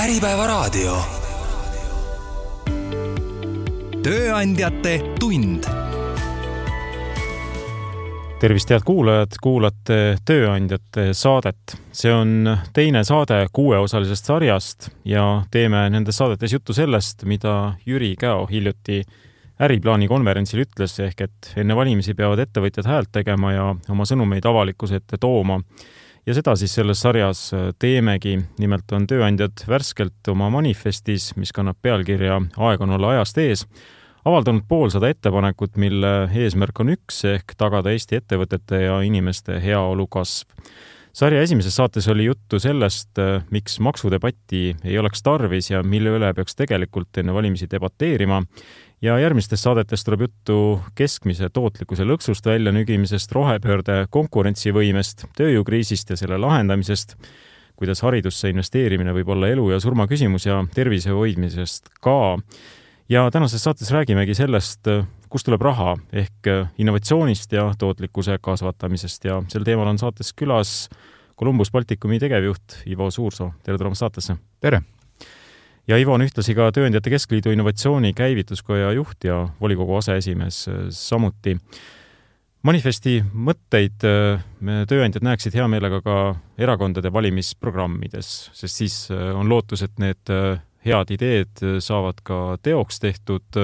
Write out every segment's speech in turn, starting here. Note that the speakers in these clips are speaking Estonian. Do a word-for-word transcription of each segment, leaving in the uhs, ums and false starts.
Äripäevaraadio. Tööandjate tund. Tervist, head kuulajad, kuulate Tööandjate saadet. See on teine saade kuueosalisest sarjast ja teeme nendes saadetes juttu sellest, mida Jüri Käo hiljuti äriplaani konverentsil ütles, ehk et enne valimisi peavad ettevõtjad häält tegema ja oma sõnumeid avalikkuse ette tooma. Ja seda siis selles sarjas teemegi. Nimelt on tööandjad värskelt oma manifestis, mis kannab pealkirja Aeg on olla ajast ees, avaldanud poolsada ettepanekut, mille eesmärk on üks ehk tagada Eesti ettevõtete ja inimeste heaolu kasv. Sarja esimeses saates oli juttu sellest, miks maksudebatti ei oleks tarvis ja mille üle peaks tegelikult enne valimisi debateerima. Ja järgmistes saadetes tuleb juttu keskmise tootlikkuse lõksust väljanügimisest, rohepöörde konkurentsivõimest, tööjõukriisist ja selle lahendamisest, kuidas haridusse investeerimine võib olla elu ja surma küsimus ja tervise hoidmisest ka. Ja tänases saates räägimegi sellest, kust tuleb raha ehk innovatsioonist ja tootlikkuse kasvatamisest ja sel teemal on saates külas Columbus Balticumi tegevjuht Ivo Suursoo. Tere tulemast saatesse. Tere! Ja Ivo on ühtlasi ka Tööandjate Keskliidu innovatsiooni käivituskoja juht ja volikogu aseesimees samuti. Manifesti mõtteid me tööandjad näeksid hea meelega ka erakondade valimisprogrammides, sest siis on lootus, et need head ideed saavad ka teoks tehtud.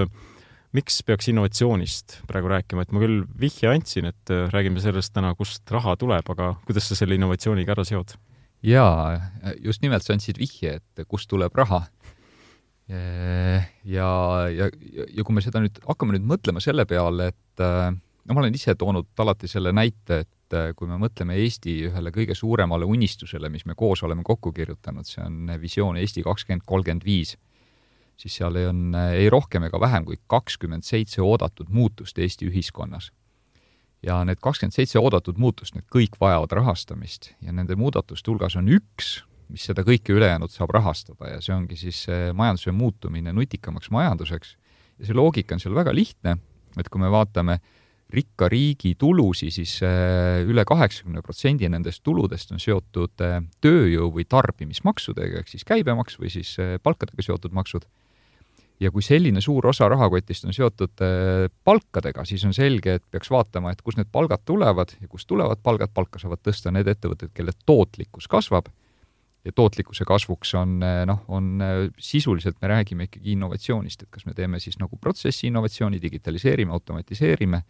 Miks peaks innovatsioonist praegu rääkima? Et ma küll vihje andsin, et räägime sellest täna, kust raha tuleb, aga kuidas sa selle innovatsiooniga ära seod? Jaa, just nimelt sa andsid vihje, et kust tuleb raha. Ja, ja, ja kui me seda nüüd hakkame nüüd mõtlema selle peale, et no, ma olen ise toonud alati selle näite, et kui me mõtleme Eesti ühele kõige suuremale unistusele, mis me koos oleme kokku kirjutanud, see on visioon Eesti kakskümmend kolmkümmend viis, siis seal on ei rohkem ega vähem kui kakskümmend seitse oodatud muutust Eesti ühiskonnas. Ja need kakskümmend seitse oodatud muutust, need kõik vajavad rahastamist ja nende muudatuste hulgas on üks, mis seda kõike ülejäänud saab rahastada ja see ongi siis majanduse muutumine nutikamaks majanduseks. Ja see loogika on seal väga lihtne, et kui me vaatame rikka riigi tulusi, siis üle kaheksakümmend protsenti nendest tuludest on seotud tööjõu või tarbimismaksudega, ehk siis käibemaks või siis palkadega seotud maksud. Ja kui selline suur osa rahakotist on seotud palkadega, siis on selge, et peaks vaatama, et kus need palgad tulevad ja kus tulevad palgad, palka saavad tõsta need ettevõtted, kelle tootlikkus kasvab. Ja tootlikkuse kasvuks on, noh, on sisuliselt me räägime ikkagi innovatsioonist, et kas me teeme siis nagu protsessi innovatsiooni, digitaliseerime, automatiseerime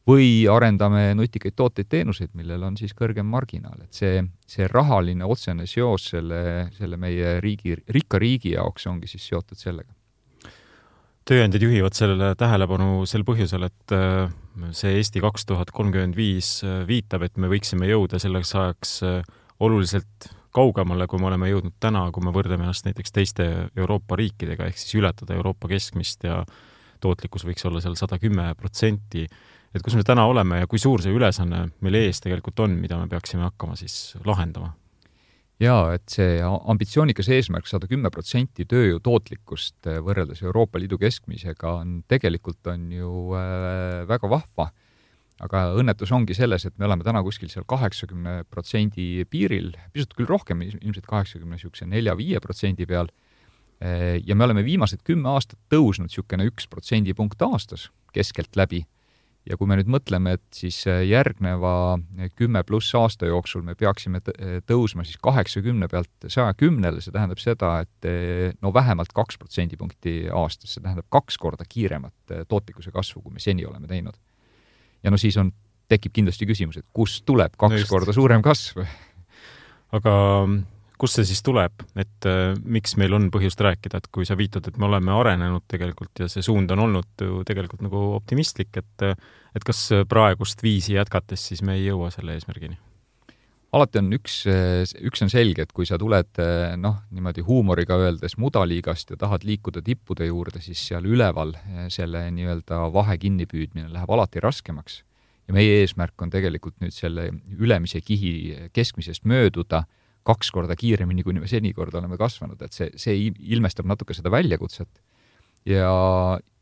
või arendame nutikaid tooteid teenuseid, millel on siis kõrgem marginaal. Et see, see rahaline otsene seos selle, selle meie riigi, rikka riigi jaoks ongi siis seotud sellega. Tööandjad juhivad sellele tähelepanu sel põhjusel, et see Eesti kaks tuhat kolmkümmend viis viitab, et me võiksime jõuda selleks ajaks oluliselt kaugemale, kui me oleme jõudnud täna, kui me võrdleme ennast näiteks teiste Euroopa riikidega, ehk siis ületada Euroopa keskmist ja tootlikkus võiks olla seal sada kümme protsenti. Et kus me täna oleme ja kui suur see ülesanne meil ees tegelikult on, mida me peaksime hakkama siis lahendama? Jaa, et see ambitsioonikas eesmärk sada kümme protsenti tööjõu tootlikkust võrreldes Euroopa Liidu keskmisega on tegelikult on ju väga vahva. Aga õnnetus ongi selles, et me oleme täna kuskil seal kaheksakümne protsendi piiril, pisut küll rohkem, ilmselt kaheksakümne nelja viie protsendi peal. Ja me oleme viimased kümme aastat tõusnud niisugune üks protsendipunkt aastas keskelt läbi. Ja kui me nüüd mõtleme, et siis järgneva kümme pluss aasta jooksul me peaksime tõusma siis kaheksakümne pealt saja kümnele, see tähendab seda, et no vähemalt kaks protsendipunkti aastas, see tähendab kaks korda kiiremat tootlikkuse kasvu, kui me seni oleme teinud. Ja no siis on, tekib kindlasti küsimus, et kus tuleb kaks no korda suurem kasv. Aga kus see siis tuleb? Et äh, miks meil on põhjust rääkida, et kui sa viitad, et me oleme arenenud tegelikult ja see suund on olnud tegelikult nagu optimistlik, et, et kas praegust viisi jätkates siis me ei jõua selle eesmärgini? Alati on üks, üks on selge, et kui sa tuled noh, niimoodi huumoriga öeldes mudaliigast ja tahad liikuda tippude juurde, siis seal üleval selle nii-öelda vahe kinnipüüdmine läheb alati raskemaks. Ja meie eesmärk on tegelikult nüüd selle ülemise kihi keskmisest mööduda kaks korda kiiremini, kui me senikord oleme kasvanud. Et see, see ilmestab natuke seda väljakutset. Ja,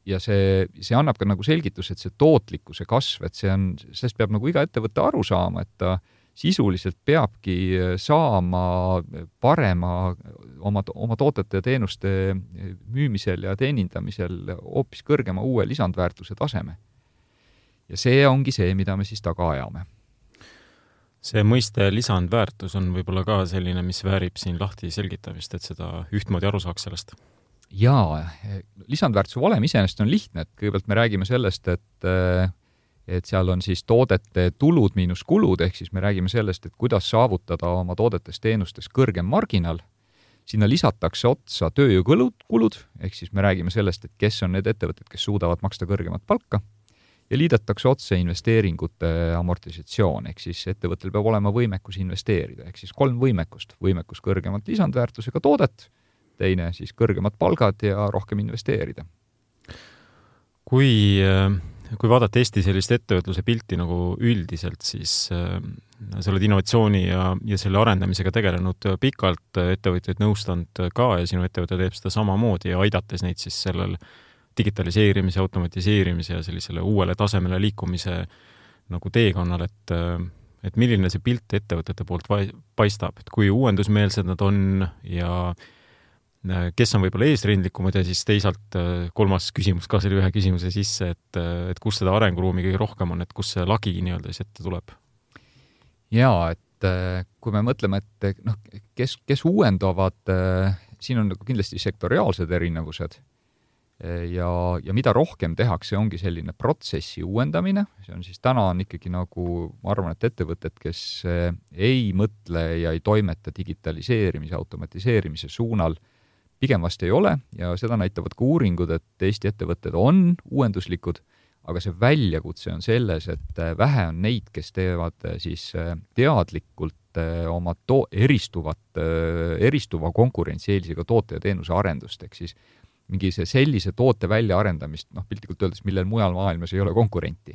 ja see, see annab ka nagu selgitus, et see tootlikkuse kasv, et see on, sellest peab nagu iga ettevõtte aru saama, et ta sisuliselt peabki saama parema oma, oma tootete ja teenuste müümisel ja teenindamisel hoopis kõrgema uue lisandväärtuse taseme. Ja see ongi see, mida me siis taga ajame. See mõiste lisandväärtus on võib-olla ka selline, mis väärib siin lahti selgitamist, et seda ühtmoodi aru saaks sellest. Jaa, lisandväärtuse valem iseenesest on lihtne, et kõigepealt me räägime sellest, et, et seal on siis toodete tulud miinus kulud, ehk siis me räägime sellest, et kuidas saavutada oma toodetes teenustes kõrgem marginal. Sinna lisatakse otsa tööjõukulud, kulud, ehk siis me räägime sellest, et kes on need ettevõtted, kes suudavad maksta kõrgemat palka. Ja liidetakse otse investeeringute amortisatsioon, ehk siis ettevõttel peab olema võimekus investeerida, ehk siis kolm võimekust. Võimekus kõrgemat lisandväärtusega toodet, teine siis kõrgemad palgad ja rohkem investeerida. Kui, kui vaadata Eesti sellist ettevõtluse pilti nagu üldiselt, siis sa oled innovatsiooni ja, ja selle arendamisega tegelenud pikalt, ettevõtjaid nõustanud ka ja sinu ettevõte teeb seda samamoodi ja aidates neid siis sellel digitaliseerimise, automatiseerimise ja sellisele uuele tasemele liikumise nagu teekonnal, et, et milline see pilt ettevõtete poolt paistab, et kui uuendusmeelsed nad on ja kes on võib-olla eesrindlikumad ja siis teisalt kolmas küsimus ka selle ühe küsimuse sisse, et, et kus seda arenguruumi kõige rohkem on, et kus see lagi nii-öelda siis ette tuleb? Jaa, et kui me mõtleme, et noh, kes, kes uuendavad, siin on kindlasti sektoriaalsed erinevused, Ja, ja mida rohkem tehakse, ongi selline protsessi uuendamine. See on siis täna on ikkagi nagu, ma arvan, et ettevõtted, kes ei mõtle ja ei toimeta digitaliseerimise, automatiseerimise suunal, pigem vast ei ole ja seda näitavad ka uuringud, et Eesti ettevõtted on uuenduslikud, aga see väljakutse on selles, et vähe on neid, kes teevad siis teadlikult oma to- eristuvat, eristuva konkurentsieelisega toote ja teenuse arendust, ehk siis mingi see sellise toote väljaarendamist, noh, piltlikult öeldes, millel mujal maailmas ei ole konkurenti.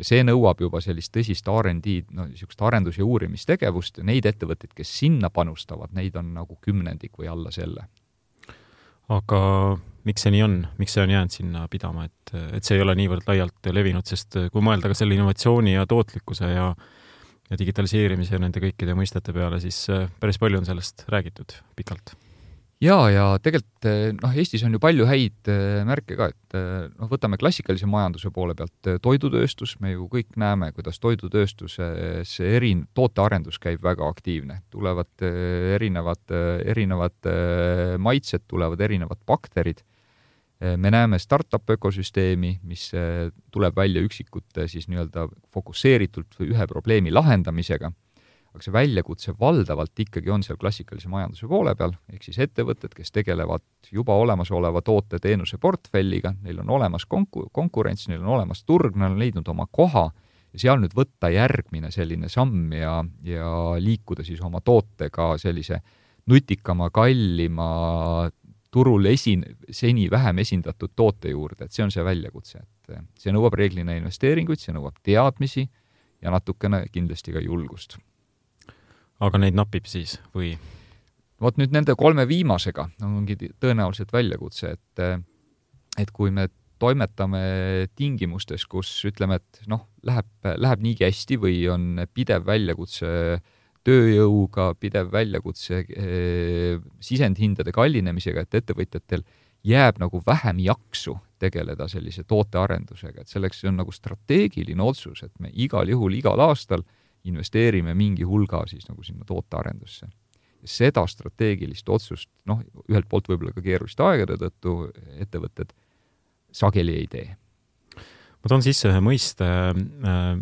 Ja see nõuab juba sellist tõsist R and D, no, niisugust arendus- ja uurimistegevust ja neid ettevõtteid, kes sinna panustavad, neid on nagu kümnendik või alla selle. Aga miks see nii on? Miks see on jäänud sinna pidama? Et, et see ei ole niivõrd laialt levinud, sest kui mõelda ka selle innovatsiooni ja tootlikkuse ja, ja digitaliseerimise ja nende kõikide mõistete peale, siis päris palju on sellest räägitud pikalt. Jaa, ja tegelikult noh, Eestis on ju palju häid märke ka, et noh, võtame klassikalise majanduse poole pealt toidutööstus, me ju kõik näeme, kuidas toidutööstuses erin, tootearendus käib väga aktiivne. Tulevad erinevad, erinevad maitsed, tulevad erinevad bakterid. Me näeme startup ökosüsteemi, mis tuleb välja üksikute siis nii-öelda fokusseeritult ühe probleemi lahendamisega. Aga see väljakutse valdavalt ikkagi on seal klassikalise majanduse poole peal, ehk siis ettevõtted, kes tegelevad juba olemasoleva toote teenuse portfelliga, neil on olemas konku- konkurents, neil on olemas turg, neil on leidnud oma koha ja seal nüüd võtta järgmine selline samm ja, ja liikuda siis oma tootega sellise nutikama, kallima, turul esin, seni vähem esindatud toote juurde, et see on see väljakutse. Et see nõuab reeglina investeeringuid, see nõuab teadmisi ja natukene kindlasti ka julgust. Aga neid napib siis või? Vot nüüd nende kolme viimasega ongi tõenäoliselt väljakutse, et, et kui me toimetame tingimustes, kus ütleme, et noh, läheb, läheb niigi hästi või on pidev väljakutse tööjõuga, pidev väljakutse e, sisendhindade kallinemisega, et ettevõtjatel jääb nagu vähem jaksu tegeleda sellise tootearendusega, et selleks on nagu strateegiline otsus, et me igal juhul igal aastal investeerime mingi hulga siis nagu sinna tootearendusse. Ja seda strateegilist otsust, noh, ühelt poolt võib-olla ka keeruliste aegade tõttu ettevõtted sageli ei tee. Ma toon sisse ühe mõiste,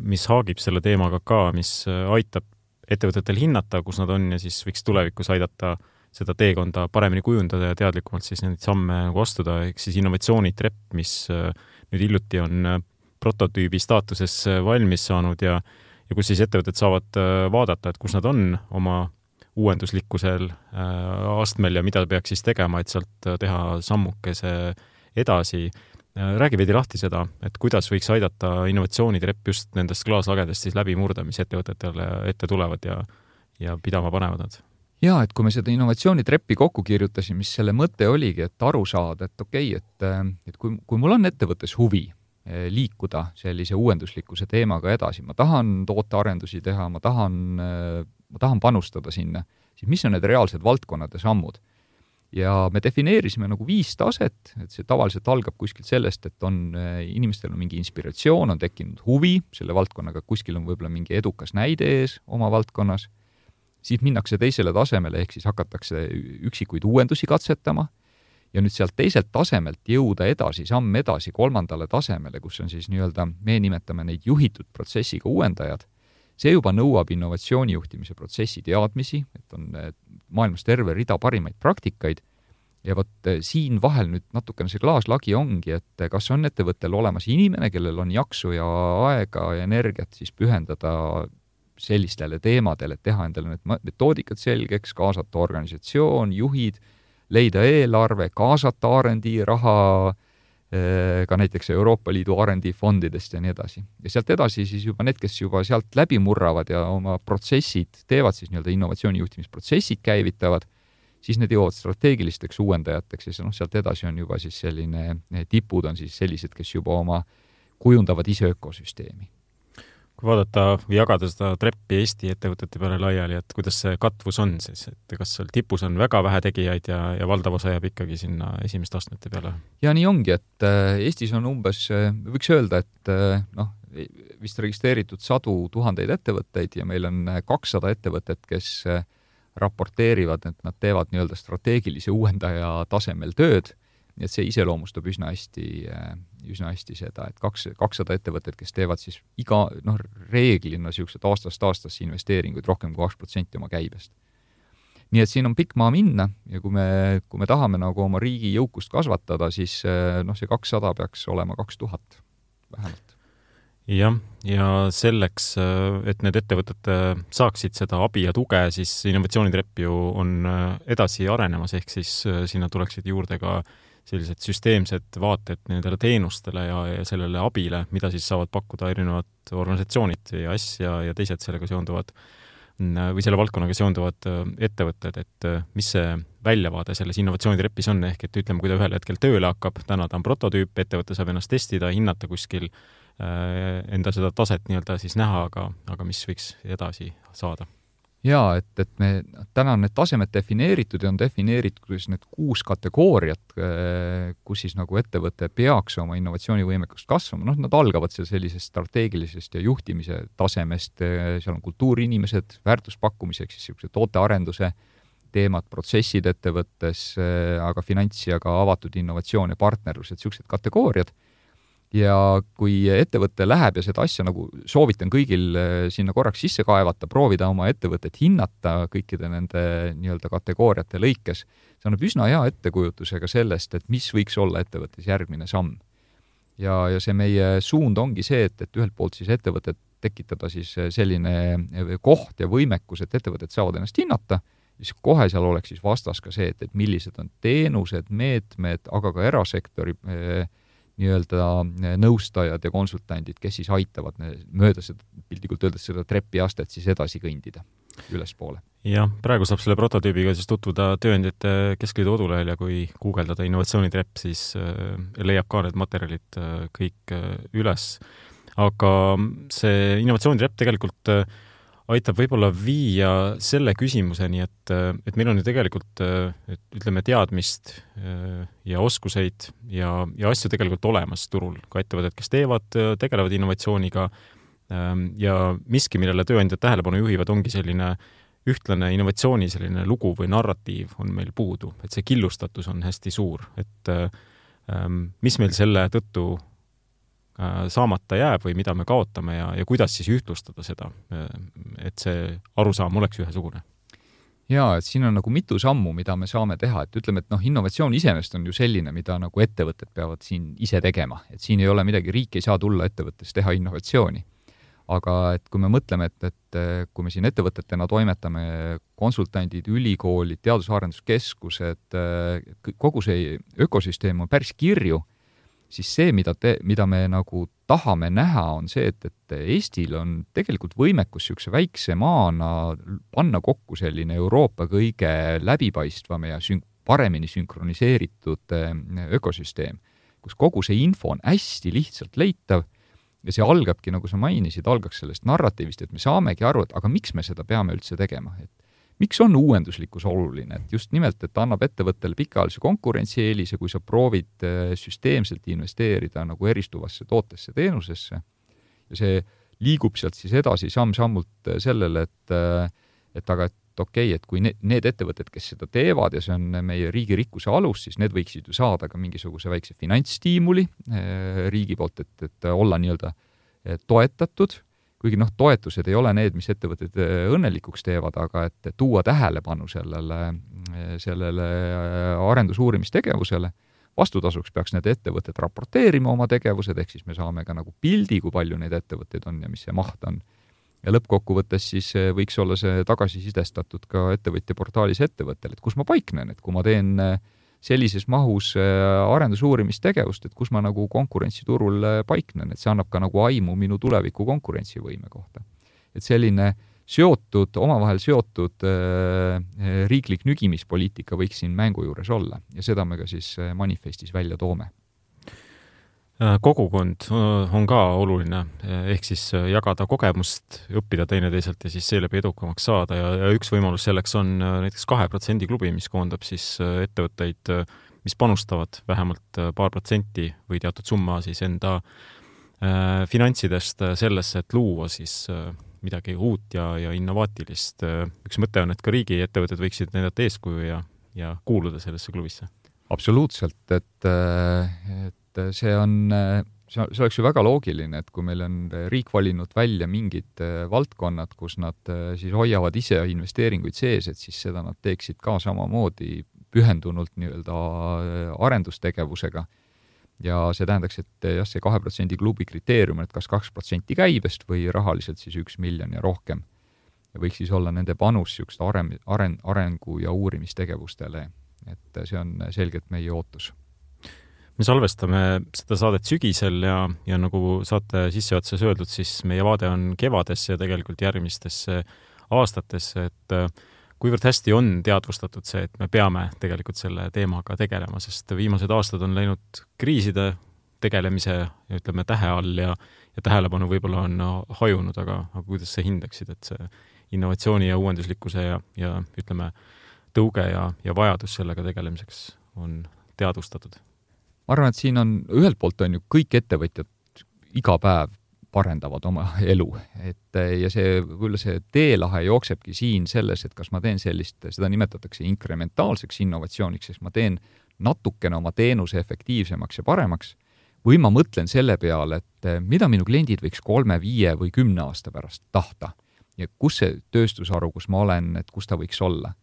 mis haagib selle teemaga ka, mis aitab ettevõtetel hinnata, kus nad on ja siis võiks tulevikus aidata seda teekonda paremini kujundada ja teadlikumalt siis neid samme nagu astuda, ehk siis innovatsioonitrepp, mis nüüd hiljuti on prototüübi staatuses valmis saanud ja ja kus siis ettevõtted saavad vaadata, et kus nad on oma uuenduslikkusel astmel ja mida peaks siis tegema, et sealt teha sammukese edasi. Räägi veidi lahti seda, et kuidas võiks aidata innovatsioonitrepp just nendest klaaslagedest siis läbi murda, mis ettevõtetele ette tulevad ja, ja pidama panevad nad. Jaa, et kui me seda innovatsioonitreppi kokku kirjutasime, mis selle mõte oligi, et aru saada, et okei, et, et kui, kui mul on ettevõttes huvi liikuda sellise uuenduslikkuse teemaga edasi, ma tahan tootearendusi teha, ma tahan, ma tahan panustada sinna, siis mis on need reaalsed valdkonnad ja sammud? ja me defineerisime nagu viis taset, et see tavaliselt algab kuskilt sellest, et on, inimestel on mingi inspiratsioon, on tekkinud huvi selle valdkonnaga, kuskil on võib-olla mingi edukas näide ees oma valdkonnas, siis minnakse teisele tasemele, ehk siis hakatakse üksikuid uuendusi katsetama ja nüüd sealt teiselt tasemelt jõuda edasi, samm edasi kolmandale tasemele, kus on siis nii-öelda, me nimetame neid juhitud protsessiga uuendajad. See juba nõuab innovatsioonijuhtimise protsessi teadmisi, et on maailmas terve rida parimaid praktikaid ja vot siin vahel nüüd natukene see klaaslagi ongi, et kas on ettevõttel olemas inimene, kellel on jaksu ja aega ja energiat siis pühendada sellistele teemadele, et teha endale need metoodikad selgeks, kaasata organisatsioon, juhid, leida eelarve, kaasata R and D raha, ka näiteks Euroopa Liidu R and D fondidest ja nii edasi. Ja sealt edasi siis juba need, kes juba sealt läbi murravad ja oma protsessid teevad, siis nii-öelda innovatsioonijuhtimisprotsessid käivitavad, siis need jõuavad strateegilisteks uuendajateks ja no, sealt edasi on juba siis selline, tipud on siis sellised, kes juba oma kujundavad ise ökosüsteemi. Kui vaadata või jagada seda treppi Eesti ettevõtete peale laiali, et kuidas see katvus on siis, et kas seal tipus on väga vähe tegijaid ja, ja valdav osa jääb ikkagi sinna esimeste astmete peale? Ja nii ongi, et Eestis on umbes, võiks öelda, et noh, vist registreeritud sadu tuhandeid ettevõtteid ja meil on kakssada ettevõtet, kes raporteerivad, et nad teevad nii-öelda strateegilise uuendaja tasemel tööd, nii et see iseloomustab üsna hästi, üsna hästi seda, et kaks, kakssada ettevõtted, kes teevad siis iga, noh, reeglina siuksed aastast aastasse investeeringuid rohkem kui kaks protsenti oma käibest. Nii et siin on pikk maa minna ja kui me, kui me tahame nagu oma riigi jõukust kasvatada, siis noh, see kakssada peaks olema kaks tuhat vähemalt. Jah, ja selleks, et need ettevõtted saaksid seda abi ja tuge, siis innovatsioonitrepp ju on edasi arenemas, ehk siis sinna tuleksid juurde ka sellised süsteemsed vaated nendele teenustele ja, ja sellele abile, mida siis saavad pakkuda erinevad organisatsioonid ja asja ja teised sellega seonduvad või selle valdkonnaga seonduvad ettevõtted, et mis see väljavaade selles innovatsioonitrepis on, ehk et ütleme, kui ta ühel hetkel tööle hakkab, täna ta on prototüüp, ettevõte saab ennast testida, hinnata kuskil enda seda taset nii-öelda siis näha, aga, aga mis võiks edasi saada? Jaa, et, et me täna on need tasemed defineeritud ja on defineeritud need kuus kategooriat, kus siis nagu ettevõte peaks oma innovatsioonivõimekust kasvama. Noh, nad algavad seal sellisest strateegilisest ja juhtimise tasemest, seal on kultuuriinimesed, väärtuspakkumiseks, siis tootearenduse teemad, protsessid ettevõttes, aga finants ja ka avatud innovatsioon ja partnerlused, sellised kategooriad. Ja kui ettevõte läheb ja seda asja nagu soovitan kõigil sinna korraks sisse kaevata, proovida oma ettevõtet hinnata kõikide nende nii-öelda kategooriate lõikes, see annab üsna hea ettekujutusega sellest, et mis võiks olla ettevõttes järgmine samm. Ja, ja see meie suund ongi see, et, et ühelt poolt siis ettevõtet tekitada siis selline koht ja võimekus, et ettevõtet saavad ennast hinnata, siis kohe seal oleks siis vastas ka see, et, et millised on teenused, meetmed, aga ka erasektori nii-öelda nõustajad ja konsultandid, kes siis aitavad mööda seda, pildikult öeldes seda trepiastet siis edasi kõndida ülespoole. Jah, praegu saab selle prototüübiga siis tutvuda Tööandjate Keskliidu kodulehel ja kui guugeldada innovatsioonitrepp, siis leiab ka need materjalid kõik üles. Aga see innovatsioonitrepp tegelikult aitab võib-olla viia selle küsimuseni, et, et meil on ju tegelikult, et ütleme, teadmist ja oskuseid ja, ja asju tegelikult olemas turul, ka ettevõtted, kes teevad, tegelevad innovatsiooniga ja miski, millele tööandjad tähelepanu juhivad, ongi selline ühtlane innovatsiooni selline lugu või narratiiv on meil puudu, et see killustatus on hästi suur, et mis meil selle tõttu saamata jääb või mida me kaotame ja, ja kuidas siis ühtlustada seda, et see arusaam oleks ühesugune? Jaa, et siin on nagu mitu sammu, mida me saame teha, et ütleme, et noh, innovatsioon iseenesest on ju selline, mida nagu ettevõtted peavad siin ise tegema, et siin ei ole midagi, riik ei saa tulla ettevõttes teha innovatsiooni. Aga et kui me mõtleme, et, et kui me siin ettevõtetena toimetame, konsultandid, ülikoolid, teadus-arenduskeskused, kogu see ökosüsteem on päris kirju, siis see, mida, te, mida me nagu tahame näha, on see, et, et Eestil on tegelikult võimekus siukse väikse maana panna kokku selline Euroopa kõige läbipaistvam ja sün- paremini sünkroniseeritud ökosüsteem, kus kogu see info on hästi lihtsalt leitav ja see algabki, nagu sa mainisid, algaks sellest narratiivist, et me saamegi aru, et aga miks me seda peame üldse tegema, et miks on uuenduslikkus oluline, et just nimelt, et annab ettevõttele pikaajalise konkurentsieelise, kui sa proovid süsteemselt investeerida nagu eristuvasse tootesse, teenusesse ja see liigub sealt siis edasi samm-sammult sellele, et, et aga et okei, et kui need, need ettevõtted, kes seda teevad ja see on meie riigi rikkuse alus, siis need võiksid ju saada ka mingisuguse väikse finantsstiimuli riigi poolt, et, et olla nii-öelda toetatud, kuigi noh, toetused ei ole need, mis ettevõtted õnnelikuks teevad, aga et tuua tähelepanu sellele, sellele arendusuurimistegevusele, vastutasuks peaks need ettevõtted raporteerima oma tegevused, ehk siis me saame ka nagu pildi, kui palju neid ettevõtteid on ja mis see maht on. Ja lõppkokkuvõttes siis võiks olla see tagasisidestatud ka ettevõtja portaalis ettevõttele, et kus ma paiknen, et kui ma teen sellises mahus arendusuurimistegevust, et kus ma nagu konkurentsiturul paiknen, et see annab ka nagu aimu minu tuleviku konkurentsivõime kohta. Et selline seotud, omavahel seotud riiklik nügimispoliitika võiks siin mängu juures olla ja seda me ka siis manifestis välja toome. Kogukond on ka oluline, ehk siis jagada kogemust, õppida teineteiselt ja siis seeläbi edukamaks saada ja, ja üks võimalus selleks on näiteks kahe protsendi klubi, mis koondab siis ettevõtteid, mis panustavad vähemalt paar protsenti või teatud summa siis enda finantsidest sellesse, et luua siis midagi uut ja, ja innovaatilist. Üks mõte on, et ka riigi ettevõtted võiksid näidata eeskuju ja, ja kuuluda sellesse klubisse. Absoluutselt, et, et see on, see oleks ju väga loogiline, et kui meil on riik valinud välja mingid valdkonnad, kus nad siis hoiavad ise investeeringuid sees, et siis seda nad teeksid ka samamoodi pühendunult nii-öelda arendustegevusega. Ja see tähendaks, et jah, see kahe protsendi klubi kriteerium, et kas kaks protsenti käibest või rahaliselt siis üks miljon ja rohkem. Ja võiks siis olla nende panus just aren, aren, arengu ja uurimistegevustele, et see on selgelt meie ootus. Me salvestame seda saadet sügisel ja, ja nagu saate sissejuhatuses öeldud, siis meie vaade on kevades ja tegelikult järgmistesse aastatesse, et kuivõrd hästi on teadvustatud see, et me peame tegelikult selle teemaga tegelema, sest viimased aastad on läinud kriiside tegelemise, ütleme, tähe all ja, ja tähelepanu võib-olla on hajunud, aga, aga kuidas sa hindaksid, et see innovatsiooni ja uuenduslikkuse ja, ja ütleme, tõuge ja, ja vajadus sellega tegelemiseks on teadvustatud? Ma arvan, et siin on, ühelt poolt on ju kõik ettevõtjad iga päev parendavad oma elu, et ja see, võib-olla see teelahe jooksebki siin selles, et kas ma teen sellist, seda nimetatakse inkrementaalseks innovatsiooniks, sest ma teen natukene oma teenuse efektiivsemaks ja paremaks, või ma mõtlen selle peale, et mida minu kliendid võiks kolme, viie või kümne aasta pärast tahta ja kus see tööstusharu, kus ma olen, et kus ta võiks olla.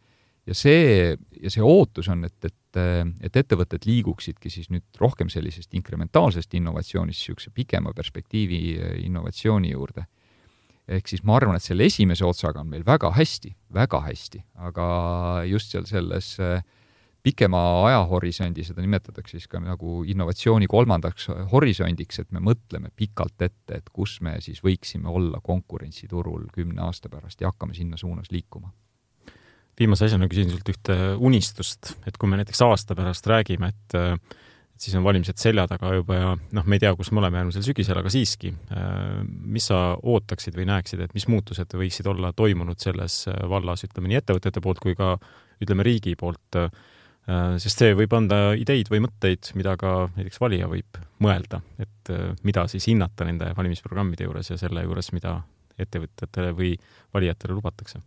Ja see, ja see ootus on, et, et, et ettevõtted liiguksidki siis nüüd rohkem sellisest inkrementaalsest innovatsioonist siukse pikema perspektiivi innovatsiooni juurde. Ehk siis ma arvan, et selle esimese otsaga on meil väga hästi, väga hästi, aga just seal selles pikema ajahorisondi, seda nimetatakse siis ka nagu innovatsiooni kolmandaks horisondiks, et me mõtleme pikalt ette, et kus me siis võiksime olla konkurentsiturul kümne aasta pärast ja hakkame sinna suunas liikuma. Viimase asjana küsin sult ühte unistust, et kui me näiteks aasta pärast räägime, et, et siis on valimised selja taga juba ja noh, me ei tea, kus me oleme järgmisel sügisel, aga siiski, mis sa ootaksid või näeksid, et mis muutused võiksid olla toimunud selles vallas, ütleme nii ettevõtete poolt kui ka ütleme riigi poolt, sest see võib anda ideid või mõtteid, mida ka näiteks valija võib mõelda, et mida siis hinnata nende valimisprogrammide juures ja selle juures, mida ettevõtjatele või valijatele lubatakse.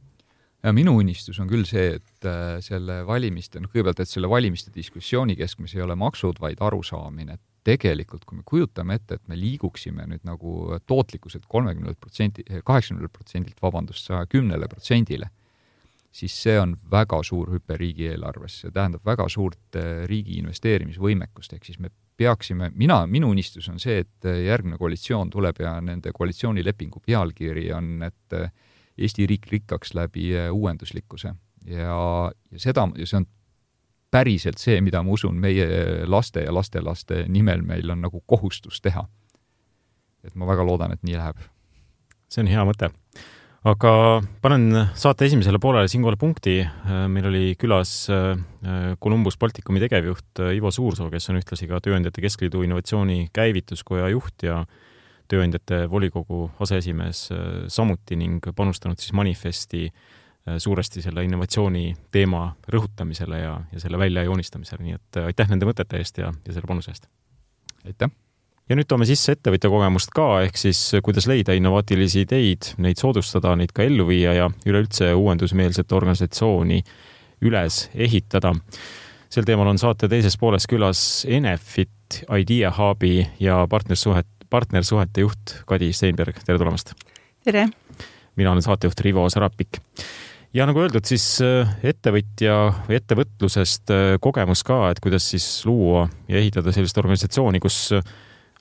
Ja minu unistus on küll see, et selle valimiste, noh kõigepealt, et selle valimiste diskussiooni keskmes ei ole maksud, vaid arusaamine. Tegelikult, kui me kujutame ette, et me liiguksime nüüd nagu tootlikkuselt kolmekümnelt protsendi, kaheksakümnelt protsendilt vabandust, kümnele protsendile, siis see on väga suur hüpe riigieelarves. See tähendab väga suurt riigi investeerimisvõimekust, ehk siis me peaksime, mina, minu unistus on see, et järgmine koalitsioon tuleb ja nende koalitsioonilepingu pealkiri on, et Eesti riik rikkaks läbi uuenduslikkuse ja, ja seda, ja see on päriselt see, mida ma usun meie laste ja lastelaste nimel meil on nagu kohustus teha. Et ma väga loodan, et nii läheb. See on hea mõte. Aga panen saate esimesele poolele siinkohal punkti. Meil oli külas Columbus Balticumi tegevjuht Ivo Suursoo, kes on ühtlasi ka Tööandjate Keskliidu innovatsiooni käivituskoja juht ja Tööandjate volikogu aseesimees samuti ning panustanud siis manifesti suuresti selle innovatsiooni teema rõhutamisele ja, ja selle välja joonistamisele, nii et aitäh nende mõtete eest ja, ja selle panuse eest. Aitäh! Ja nüüd toome sisse ettevõtja kogemust ka, ehk siis kuidas leida innovaatilisi ideid, neid soodustada, neid ka ellu viia ja üleüldse uuendusmeelset organisatsiooni üles ehitada. Sel teemal on saate teises pooles külas Enefit Idea Hubi ja partnersuhet, partnersuhete juht Kadi Steinberg. Tere tulemast! Tere! Mina olen saatejuht Rivo Sarapik. Ja nagu öeldud, siis ettevõtja või ettevõtlusest kogemus ka, et kuidas siis luua ja ehitada sellist organisatsiooni, kus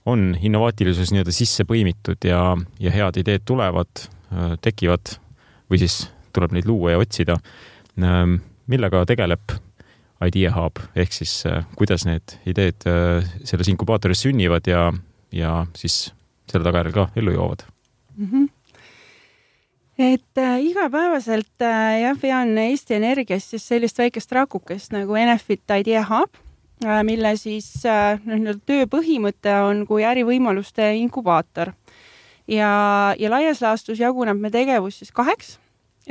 on innovaatilisus nii-öelda sisse põimitud ja, ja head ideed tulevad, tekivad või siis tuleb neid luua ja otsida. Millega tegeleb Idea Hub, ehk siis kuidas need ideed selles inkubaatoris sünnivad ja, ja siis selle tagajärjel ka ellu joovad? Mm-hmm. Et äh, igapäevaselt äh, jah, vean Eesti Energias siis sellist väikest rakukest nagu Enefit Idea Hub, äh, mille siis äh, no, töö põhimõte on kui ärivõimaluste inkubaator. Ja, ja laias laastus jaguneb me tegevus siis kaheks.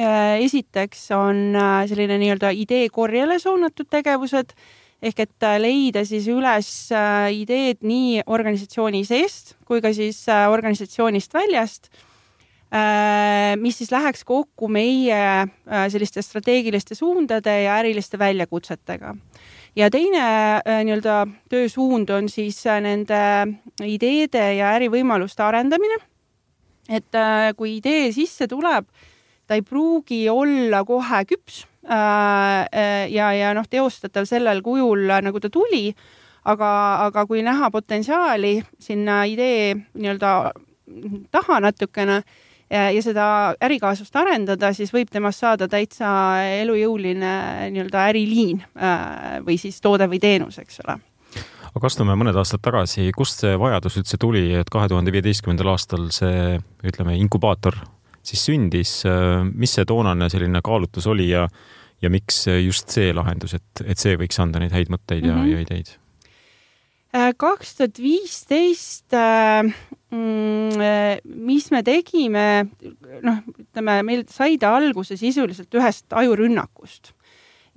Äh, esiteks on äh, selline nii-öelda idee korjele suunatud tegevused, ehk et äh, leida siis üles äh, ideed nii organisatsiooni seest kui ka siis äh, organisatsioonist väljast, mis siis läheks kokku meie selliste strateegiliste suundade ja äriliste väljakutsetega. Ja teine nii-öelda töösuund on siis nende ideede ja ärivõimaluste arendamine. Et kui idee sisse tuleb, ta ei pruugi olla kohe küps ja, ja noh, teostatav sellel kujul, nagu ta tuli, aga, aga kui näha potentsiaali sinna idee nii-öelda taha natukene, Ja, ja seda ärikaasust arendada, siis võib temast saada täitsa elujõuline nii-öelda äriliin või siis toode või teenus, eks ole. Aga astume mõned aastad tagasi, kust see vajadus üldse tuli, et kahe tuhande viieteistkümnendal aastal see, ütleme, inkubaator siis sündis, mis see toonane selline kaalutlus oli ja, ja miks just see lahendus, et, et see võiks anda neid häid mõtteid ja, mm-hmm. ja ideid? kaks tuhat viisteist mis me tegime, noh, ütleme, meil sai ta alguse sisuliselt ühest ajurünnakust.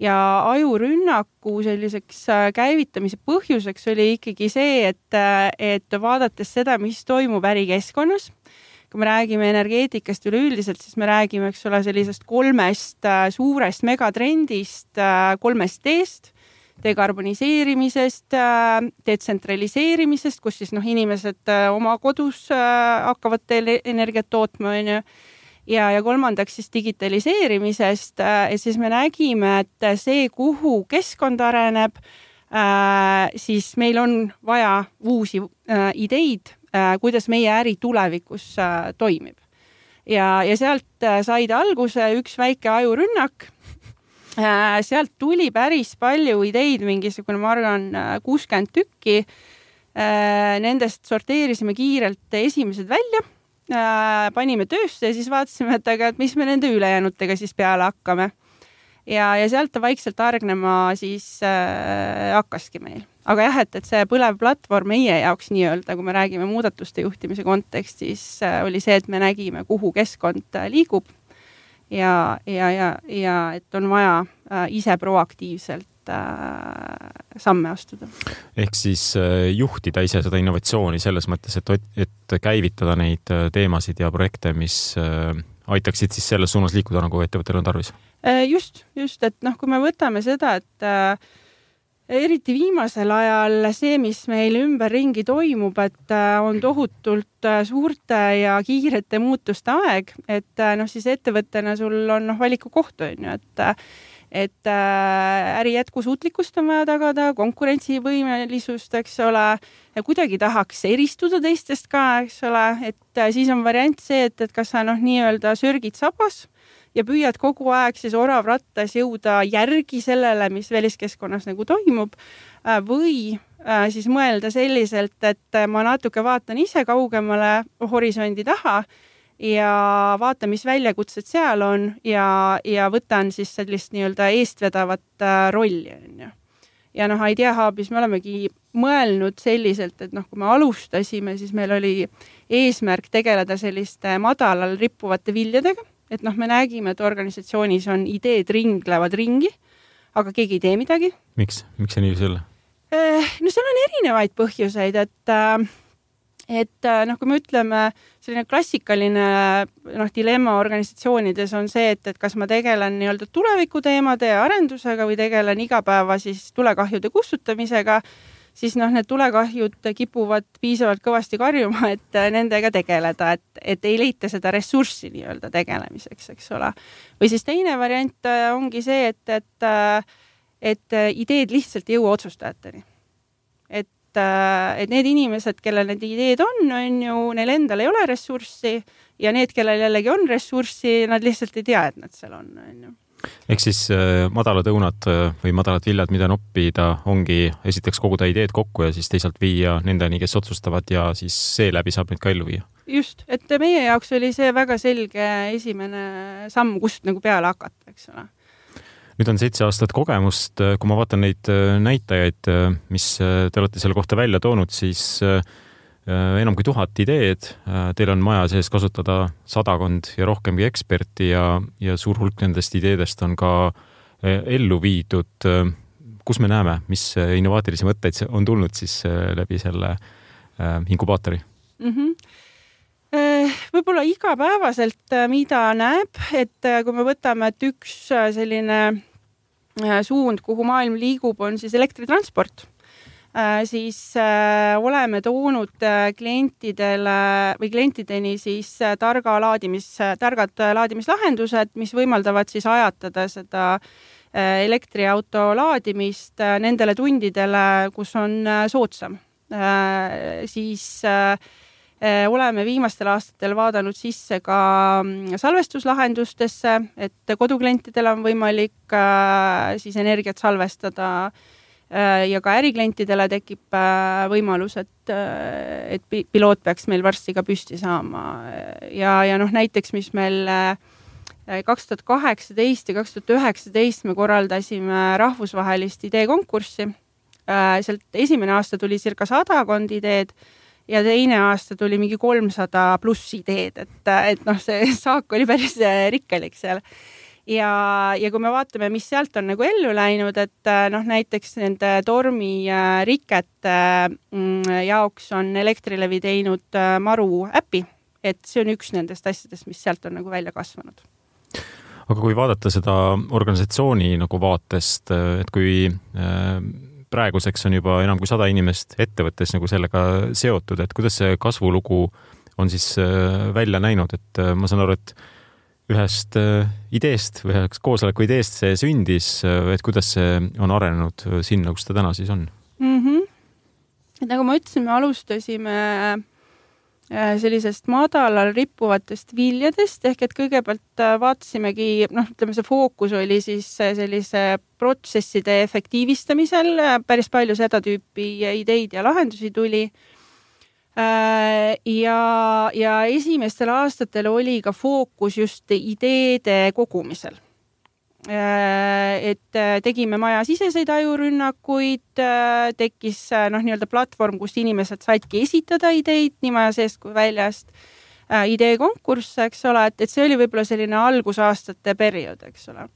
Ja ajurünnaku selliseks käivitamise põhjuseks oli ikkagi see, et, et vaadates seda, mis toimub ärikeskkonnas, kui me räägime energeetikast üleüldiselt, siis me räägime, eks ole, sellisest kolmest suurest megatrendist, kolmest teest, dekarboniseerimisest, detsentraliseerimisest, kus siis noh, inimesed oma kodus hakkavad energiat tootma, on ju, ja, ja kolmandaks siis digitaliseerimisest, et siis me nägime, et see, kuhu keskkond areneb, siis meil on vaja uusi ideid, kuidas meie äri tulevikus toimib. Ja, ja sealt said alguse üks väike ajurünnak. Sealt tuli päris palju ideid, mingisugune, ma arvan, kuuskümmend tükki. Nendest sorteerisime kiirelt esimesed välja, panime töösse ja siis vaatasime, et aga et mis me nende ülejäänutega siis peale hakkame. Ja, ja sealt ta vaikselt argnema siis äh, hakkaski meil. Aga jah, et, et see põlev platvorm meie jaoks nii-öelda, kui me räägime muudatuste juhtimise kontekstis, äh, oli see, et me nägime, kuhu keskkond äh, liigub. Ja, ja, ja, ja et on vaja äh, ise proaktiivselt äh, samme astuda. Ehk siis äh, juhtida ise seda innovatsiooni selles mõttes, et, et käivitada neid teemasid ja projekte, mis äh, aitaksid siis selles suunas liikuda, nagu ettevõttel on tarvis. Äh, just, just, et noh, kui me võtame seda, et äh, eriti viimasel ajal see, mis meil ümberringi toimub, et on tohutult suurte ja kiirete muutuste aeg, et noh, siis ettevõttena sul on noh, valiku koht on ju, et, et äri jätkusuutlikkust on vaja tagada, konkurentsivõimelisust, eks ole, ja kuidagi tahaks eristuda teistest ka, eks ole, et siis on variant see, et, et kas sa noh, nii-öelda sörgid sabas, ja püüad kogu aeg siis oravrattas jõuda järgi sellele, mis väliskeskkonnas nagu toimub, või siis mõelda selliselt, et ma natuke vaatan ise kaugemale horisondi taha ja vaatan, mis väljakutsed seal on ja, ja võtan siis sellist nii-öelda eestvedavat rolli. Ja noh, Idea Hubis me olemegi mõelnud selliselt, et noh, kui me alustasime, siis meil oli eesmärk tegeleda selliste madalal rippuvate viljadega, et noh, me nägime, et organisatsioonis on ideed ringlevad ringi, aga keegi ei tee midagi. Miks? Miks see nii selle? No seal on erinevaid põhjuseid, et et noh, kui me ütleme, selline klassikaline noh, dilemma organisatsioonides on see, et, et kas ma tegelen nii-öelda tulevikuteemade ja arendusega või tegelen igapäeva siis tulekahjude kustutamisega, siis noh, need tulekahjud kipuvad piisavalt kõvasti karjuma, et nendega tegeleda, et, et ei leita seda ressurssi nii-öelda tegelemiseks, eks ole. Või siis teine variant ongi see, et, et, et ideed lihtsalt ei jõua otsustajateni. Et et need inimesed, kellel need ideed on, on ju, neil endal ei ole ressurssi ja need, kellel jällegi on ressurssi, nad lihtsalt ei tea, et nad seal on, on ju. Ehk siis madalad õunad või madalad viljad, mida noppida, ongi esiteks koguda ideed kokku ja siis teisalt viia nendeni, kes otsustavad ja siis seeläbi saab neid ka ellu viia. Just, et meie jaoks oli see väga selge esimene samm, kust nagu peale hakata, eks ole. Nüüd on seitse aastat kogemust, kui ma vaatan neid näitajaid, mis te olete selle kohta välja toonud, siis enam kui tuhat ideed. Teil on maja sees kasutada sadakond ja rohkemgi eksperti ja, ja suur hulk nendest ideedest on ka ellu viidud. Kus me näeme, mis innovaatilisi mõtteid on tulnud siis läbi selle inkubaatori? Mm-hmm. Võib-olla igapäevaselt, mida näeb, et kui me võtame, et üks selline suund, kuhu maailm liigub, on siis elektritransport, siis oleme toonud klientidele või klientideni siis targa laadimis, targad laadimislahendused, mis võimaldavad siis ajatada seda elektriauto laadimist nendele tundidele, kus on soodsam. Siis oleme viimastel aastatel vaadanud sisse ka salvestuslahendustesse, et koduklientidel on võimalik siis energiat salvestada ja ka äriklientidele tekib võimalus, et, et piloot peaks meil varsti ka püsti saama. Ja, ja noh, näiteks, mis meil kaks tuhat kaheksateist ja kaks tuhat üheksateist me korraldasime rahvusvahelist ideekonkurssi. Sealt esimene aasta tuli circa sadakond ideed, ja teine aasta tuli mingi kolmsada pluss ideed, et, et noh, see saak oli päris rikkelik seal. Ja, ja kui me vaatame, mis sealt on nagu ellu läinud, et noh, näiteks nende tormi rikete jaoks on Elektrilevi teinud Maru äpi, et see on üks nendest asjadest, mis sealt on nagu välja kasvanud. Aga kui vaadata seda organisatsiooni nagu vaatest, et kui praeguseks on juba enam kui sada inimest ettevõttes nagu sellega seotud, et kuidas see kasvulugu on siis välja näinud, et ma saan aru, et ühest ideest või üheks koosoleku ideest see sündis, et kuidas see on arenenud sinna, kus ta täna siis on? Mm-hmm. Et nagu ma ütlesin, me alustasime sellisest madalal rippuvatest viljadest, ehk et kõigepealt vaatasimegi, noh, ütleme, see fookus oli siis sellise protsesside efektiivistamisel, päris palju seda tüüpi ideid ja lahendusi tuli. Ja, ja esimestel aastatel oli ka fookus just ideede kogumisel. Et tegime maja siseseid ajurünnakuid, tekkis noh, nii-öelda platvorm, kus inimesed saidki esitada ideid nii maja seest kui väljast, ideekonkurss, eks ole, et, et see oli võib-olla selline algusaastate periood, eks ole.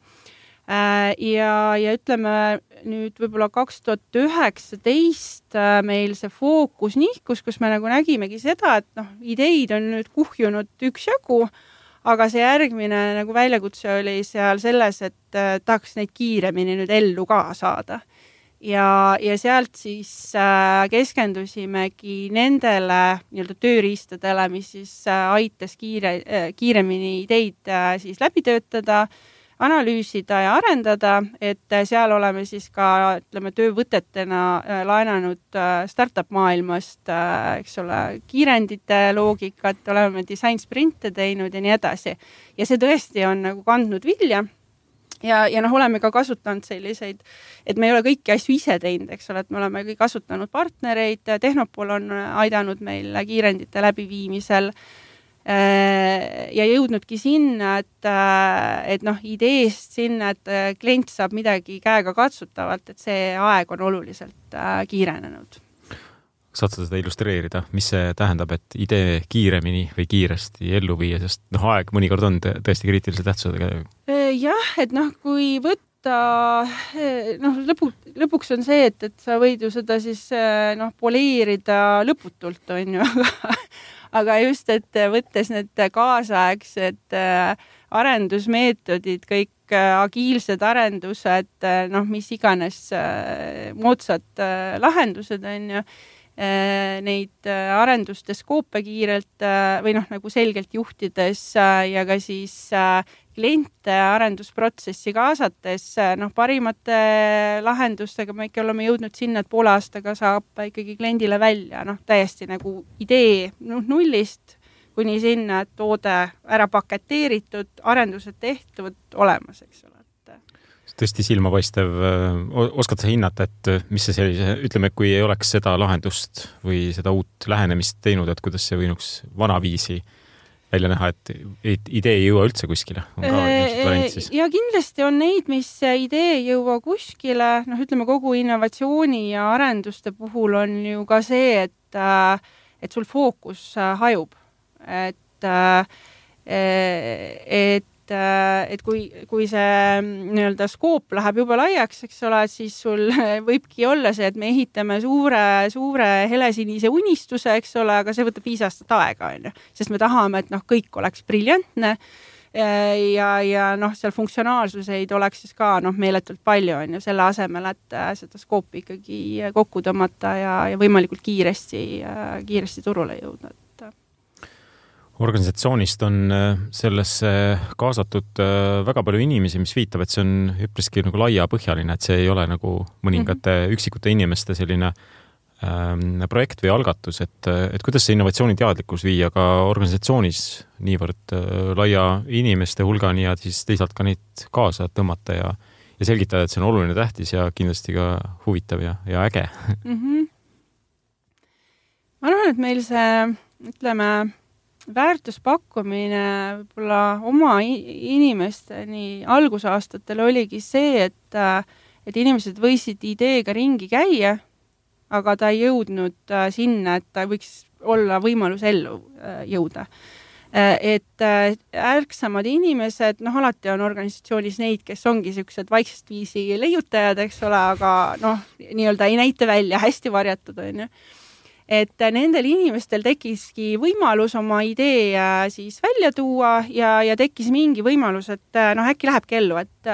Ja, ja ütleme nüüd võib-olla kaks tuhat üheksateist meil see fookus nihkus, kus me nagu nägimegi seda, et noh, ideid on nüüd kuhjunud üks jagu, aga see järgmine nagu väljakutse oli seal selles, et äh, tahaks neid kiiremini nüüd ellu ka saada. Ja, ja sealt siis äh, keskendusimegi nendele nii-öelda tööriistadele, mis siis äh, aitas kiire, äh, kiiremini ideid äh, siis läbi töötada, analüüsida ja arendada, et seal oleme siis ka, ütleme, töövõtetena laenanud startup maailmast, eks ole, kiirendite loogikat, oleme design sprinte teinud ja nii edasi. Ja see tõesti on nagu kandnud vilja. Ja, ja noh, oleme ka kasutanud selliseid, et me ei ole kõiki asju ise teinud, eks ole, et me oleme kõik kasutanud partnereid, Tehnopol on aidanud meil kiirendite läbiviimisel, ja jõudnudki sinna, et, et noh, ideest sinna, et klient saab midagi käega katsutavalt, et see aeg on oluliselt kiirenenud. saad sa seda illustreerida, mis see tähendab, et idee kiiremini või kiiresti ellu viia, sest noh, aeg mõnikord on tõesti kriitilise tähtsusega. Jah, et noh, kui võtta, noh, lõpu, lõpuks on see, et, et sa võid ju seda siis noh, poleerida lõputult, on ju, aga, aga just, et võttes need kaasaegsed arendusmeetodid, kõik agiilsed arendused, noh, mis iganes moodsad lahendused on ju, neid arenduste skoope kiirelt või noh, nagu selgelt juhtides ja ka siis kliente arendusprotsessi kaasates, noh, parimate lahendustega me ikka oleme jõudnud sinna, et poole aastaga saab ikkagi kliendile välja, noh, täiesti nagu idee noh, nullist kuni sinna, et toode ära paketeeritud, arendused tehtud, olemas, eks ole. Tõesti silmapaistev, oskad sa hinnata, et mis see sellise, ütleme, kui ei oleks seda lahendust või seda uut lähenemist teinud, et kuidas see võinuks vanaviisi välja näha, et idee ei jõua üldse kuskile? On ka variant siis? Ja kindlasti on neid, mis idee ei jõua kuskile, noh, ütleme kogu innovatsiooni ja arenduste puhul on ju ka see, et, et sul fookus hajub. Et, et et kui, kui see nii-öelda skoop läheb juba laiaks, eks ole, siis sul võibki olla see, et me ehitame suure, suure helesinise unistuse, eks ole, aga see võtab viis aastat aega, on ju. Sest me tahame, et noh, kõik oleks briljantne ja, ja noh, seal funktsionaalsuseid oleks siis ka noh, meeletult palju, on ju, selle asemel, et seda skoopi ikkagi kokku tõmmata ja, ja võimalikult kiiresti, kiiresti turule jõuda. Organisatsioonist on sellesse kaasatud väga palju inimesi, mis viitab, et see on üpriski nagu laiapõhjaline, et see ei ole nagu mõningate mm-hmm. üksikute inimeste selline ähm, projekt või algatus, et, et kuidas see innovatsiooniteadlikkus viia ka organisatsioonis niivõrd äh, laia inimeste hulgani ja siis teisalt ka neid kaasa tõmmata ja, ja selgitada, et see on oluline tähtis ja kindlasti ka huvitav ja, ja äge. Mm-hmm. Ma arvan, et meil see, ütleme, väärtuspakkumine võib-olla oma inimesteni algusaastatel oligi see, et, et inimesed võisid ideega ringi käia, aga ta ei jõudnud sinna, et ta võiks olla võimalus ellu jõuda. Et ärksamad inimesed, noh, alati on organisatsioonis neid, kes ongi sellised vaiksest viisi leiutajad, eks ole, aga noh, nii-öelda ei näita välja, hästi varjatud on ju. Et nendel inimestel tekkiski võimalus oma idee siis välja tuua ja, ja tekkis mingi võimalus, et noh, äkki lähebki ellu, et,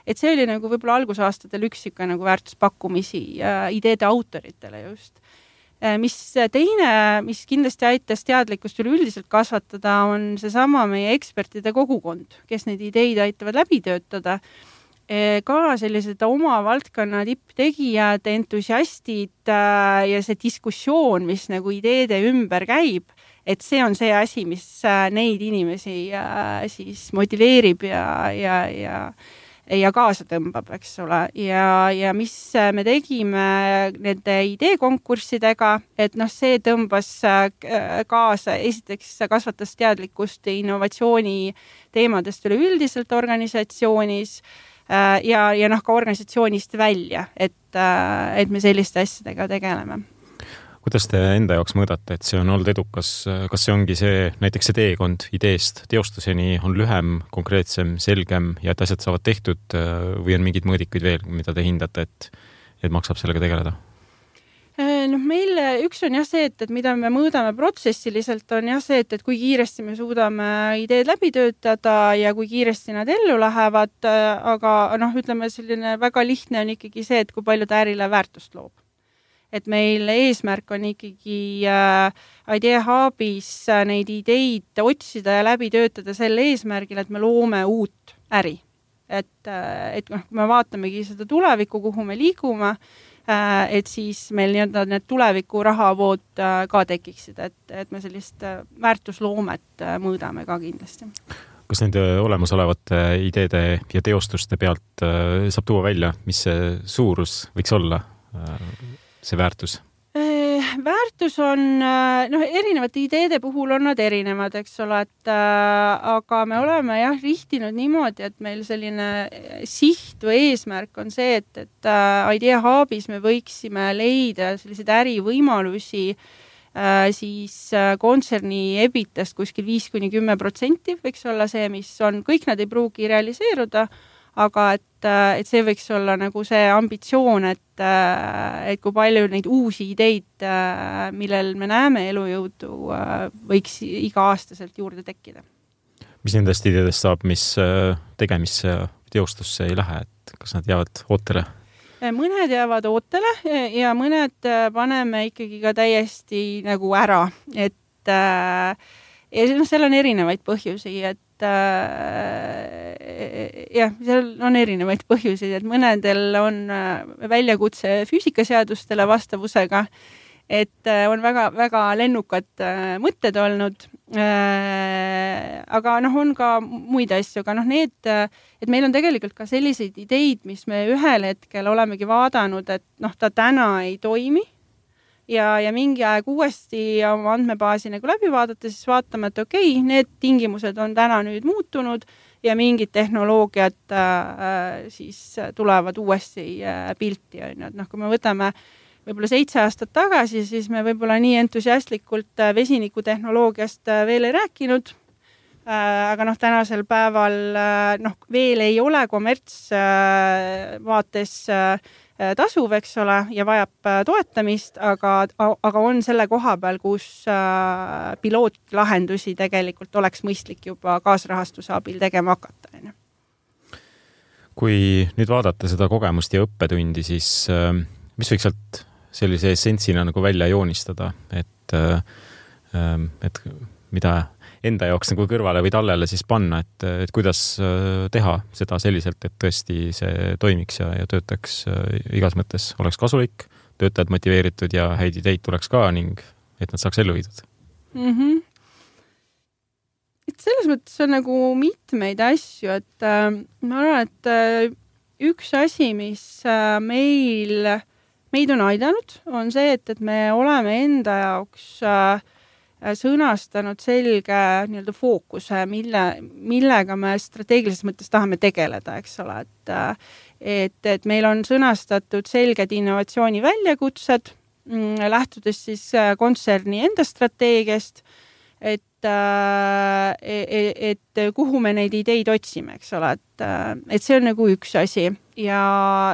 et see oli nagu võib-olla algusaastatel üks ikka nagu väärtuspakkumisi ideede autoritele just. Mis teine, mis kindlasti aitas teadlikkust üleüldiselt kasvatada, on seesama meie ekspertide kogukond, kes neid ideid aitavad läbi töötada. Ka sellised oma valdkonna tipptegijad, entusiastid ja see diskussioon, mis nagu ideede ümber käib, et see on see asi, mis neid inimesi siis motiveerib ja, ja, ja, ja kaasa tõmbab, eks ole. Ja, ja mis me tegime nende ideekonkurssidega, et noh, see tõmbas kaasa, esiteks kasvatas teadlikkust innovatsiooni teemadest üleüldiselt organisatsioonis, ja, ja noh, ka organisatsioonist välja, et, et me selliste asjadega tegeleme. Kuidas te enda jaoks mõõdate, et see on olnud edukas? Kas see ongi see, näiteks see teekond ideest teostuseni on lühem, konkreetsem, selgem ja et asjad saavad tehtud või on mingid mõõdikuid veel, mida te hindate, et, et maksab sellega tegeleda? Noh, meil üks on jah see, et, et mida me mõõdame protsessiliselt, on jah see, et, et kui kiiresti me suudame ideed läbi töötada ja kui kiiresti nad ellu lähevad, aga noh, ütleme selline väga lihtne on ikkagi see, et kui palju ta ärile väärtust loob. Et meil eesmärk on ikkagi äh, Idea Hubis äh, neid ideid otsida ja läbi töötada selle eesmärgil, et me loome uut äri. Et, äh, et noh, kui me vaatamegi seda tulevikku, kuhu me liigume, et siis meil nii-öelda need tuleviku rahavood ka tekiksid, et, et me sellist väärtusloomet mõõdame ka kindlasti. Kas nende olemasolevate ideede ja teostuste pealt saab tuua välja, mis see suurus võiks olla, see väärtus? väärtus on, noh, erinevate ideede puhul on nad erinevad, eks ole, et äh, aga me oleme jah rihtinud niimoodi, et meil selline siht või eesmärk on see, et, et äh, Idea Hubis me võiksime leida selliseid ärivõimalusi äh, siis äh, kontserni ebitast kuskil viis kuni kümme protsenti võiks olla see, mis on, kõik nad ei pruugi realiseeruda, aga et, et see võiks olla nagu see ambitsioon, et, et kui palju neid uusi ideid, millel me näeme elujõudu, võiks iga-aastaselt juurde tekkida. Mis nendest ideedest saab, mis tegemisse teostusse ei lähe, et kas nad jäävad ootele? Mõned jäävad ootele ja mõned paneme ikkagi ka täiesti nagu ära, et ja seal on erinevaid põhjusi, et jah, seal on erinevaid põhjusi, et mõnedel on väljakutse füüsikaseadustele vastavusega, et on väga, väga lennukad mõtted olnud, aga noh, on ka muid asju, aga noh, need, et meil on tegelikult ka selliseid ideid, mis me ühel hetkel olemegi vaadanud, et noh, ta täna ei toimi, ja, ja mingi aeg uuesti oma andmebaasi nagu läbi vaadata, siis vaatame, et okei, okay, need tingimused on täna nüüd muutunud ja mingid tehnoloogiad äh, siis tulevad uuesti äh, pilti. Et noh, kui me võtame võib-olla seitse aastat tagasi, siis me võib-olla nii entusiastlikult äh, vesinikutehnoloogiast äh, veel ei rääkinud, äh, aga noh, tänasel päeval äh, noh, veel ei ole kommerts äh, vaates äh, tasuv, eks ole, ja vajab toetamist, aga, aga on selle koha peal, kus äh, pilootlahendusi tegelikult oleks mõistlik juba kaasrahastuse abil tegema hakata. Kui nüüd vaadata seda kogemust ja õppetundi, siis äh, mis võiks sealt sellise essentsina nagu välja joonistada, et, äh, et mida enda jaoks nagu kõrvale või tallele siis panna, et, et kuidas teha seda selliselt, et tõesti see toimiks ja, ja töötaks igas mõttes, oleks kasulik, töötajad motiveeritud ja häid ideid tuleks ka ning et nad saaks ellu viidud. Mm-hmm. Et selles mõttes on nagu mitmeid asju, et äh, ma arvan, et äh, üks asi, mis äh, meil, meid on aidanud, on see, et, et me oleme enda jaoks äh, sõnastanud selge nii-öelda fookuse, mille, millega me strateegilises mõttes tahame tegeleda, eks ole, et, et, et meil on sõnastatud selged innovatsiooni väljakutsed, lähtudes siis kontserni enda strateegiast, et, et, et kuhu me neid ideid otsime, eks ole, et, et see on nagu üks asi ja,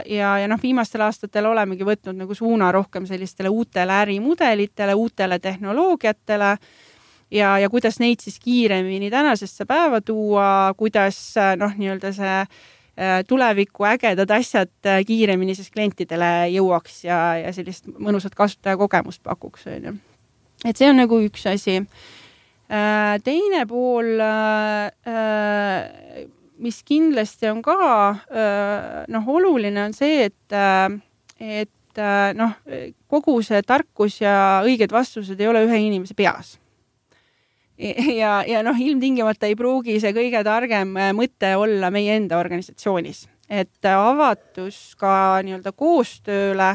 ja, ja noh, viimastel aastatel olemegi võtnud nagu suuna rohkem sellistele uutele ärimudelitele, uutele tehnoloogiatele ja, ja kuidas neid siis kiiremini tänasesse päeva tuua, kuidas noh, nii-öelda see tuleviku ägedad asjad kiiremini siis klientidele jõuaks ja, ja sellist mõnusat kasutajakogemust pakuks. Et see on nagu üks asi. Teine pool, mis kindlasti on ka noh, oluline on see, et, et noh, kogu see tarkus ja õiged vastused ei ole ühe inimese peas. Ja, ja noh, ilmtingimata ei pruugi see kõige targem mõte olla meie enda organisatsioonis. Et avatus ka nii-öelda koostööle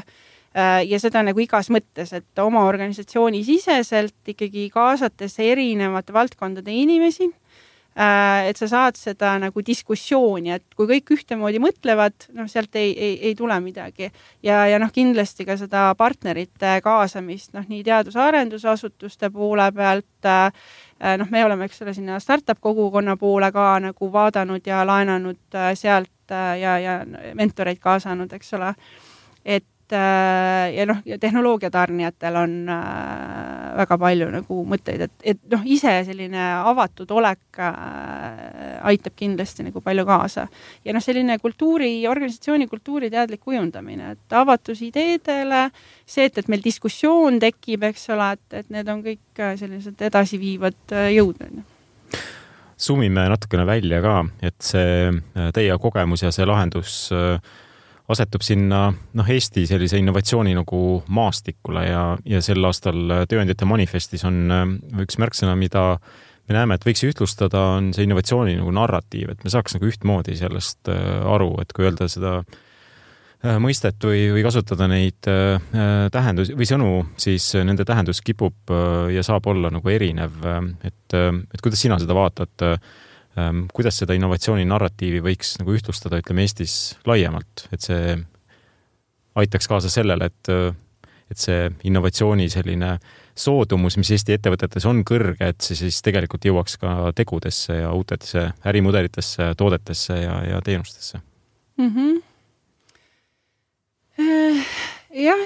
ja seda nagu igas mõttes, et oma organisatsiooni siseselt ikkagi kaasates erinevate valdkondade inimesi, et sa saad seda nagu diskussiooni, et kui kõik ühtemoodi mõtlevad, noh, sealt ei, ei, ei tule midagi. Ja, ja noh, kindlasti ka seda partnerite kaasamist, noh, nii teadus-arendusasutuste poole pealt, noh, me oleme, eks ole, sinna startup kogukonna poole ka nagu vaadanud ja laenanud sealt ja, ja mentoreid kaasanud, eks ole, et ja noh, ja tehnoloogiatarnijatel on äh, väga palju nagu mõtteid, et, et noh, ise selline avatud olek äh, aitab kindlasti nagu palju kaasa. Ja noh, selline kultuuri, organisatsiooni kultuuri teadlik kujundamine, et avatus ideedele, see, et, et meil diskussioon tekib, eks ole, et, et need on kõik sellised edasiviivad jõud. Summime natukene välja ka, et see teie kogemus ja see lahendus asetub sinna noh, Eesti sellise innovatsiooni nagu maastikule ja, ja sel aastal tööandjate manifestis on üks märksõna, mida me näeme, et võiks ühtlustada, on see innovatsiooni nagu narratiiv, et me saaks nagu ühtmoodi sellest aru, et kui öelda seda mõistet või, või kasutada neid tähendus või sõnu, siis nende tähendus kipub ja saab olla nagu erinev. Et, et kuidas sina seda vaatad, kuidas seda innovatsiooni narratiivi võiks nagu ühtlustada, ütleme Eestis laiemalt, et see aitaks kaasa sellele, et, et see innovatsiooni selline soodumus, mis Eesti ettevõtetes on kõrge, et see siis tegelikult jõuaks ka tegudesse ja uutesse ärimudelitesse, toodetesse ja, ja teenustesse. Mm-hmm. Jah,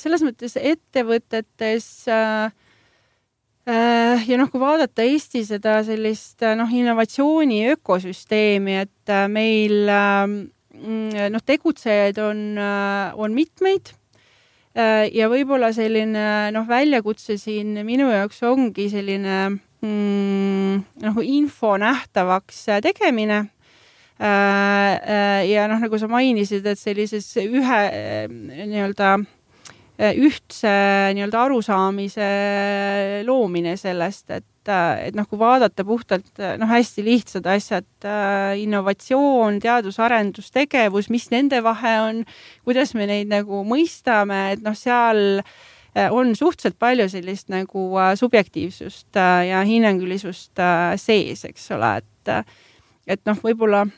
selles mõttes ettevõtetes ja noh, kui vaadata Eesti seda sellist noh, innovatsiooni ökosüsteemi, et meil noh, tegutsejaid on, on mitmeid ja võib-olla selline noh, väljakutse siin minu jaoks ongi selline mm, noh, info nähtavaks tegemine. Ja noh, nagu sa mainisid, et sellises ühe nii-öelda ühtse nii-öelda arusaamise loomine sellest, et, et noh, kui vaadata puhtalt noh, hästi lihtsad asjad, innovatsioon, teadus-arendustegevus, mis nende vahe on, kuidas me neid nagu mõistame, et noh, seal on suhteliselt palju sellist nagu subjektiivsust ja hinnangulisust sees, eks ole, et, et noh, võib-olla